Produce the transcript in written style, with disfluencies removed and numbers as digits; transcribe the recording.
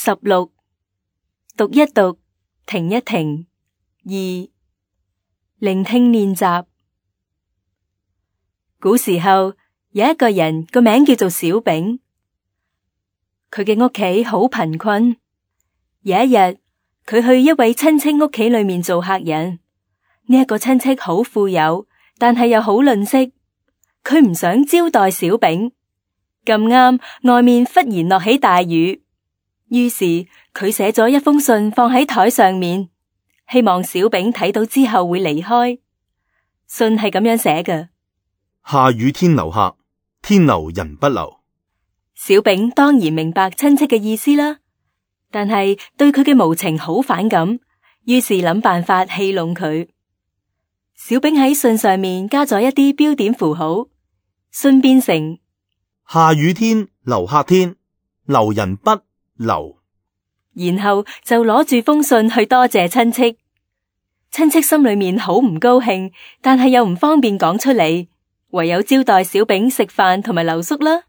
16讀一讀，停一停。2聆聽練習。古時候有一個人個名叫做小丙，佢嘅屋企好貧困。有一日，佢去一位親戚屋企裏面做客人。呢一個親戚好富有，但係又好吝嗇。佢唔想招待小丙。咁啱外面忽然落起大雨，於是佢寫咗一封信放喺台上面，希望小丙睇到之後會離開。信係咁樣寫嘅：下雨天留客，天留人不留。小丙當然明白親戚嘅意思啦，但係對佢嘅無情好反感，於是諗辦法戲弄佢。小丙喺信上面加咗一啲標點符號，信變成下雨天留客天，留人不留。然後就攞住封信去多謝親戚。親戚心裏面好唔高興，但係又唔方便講出嚟，唯有招待小丙食飯同埋留宿啦。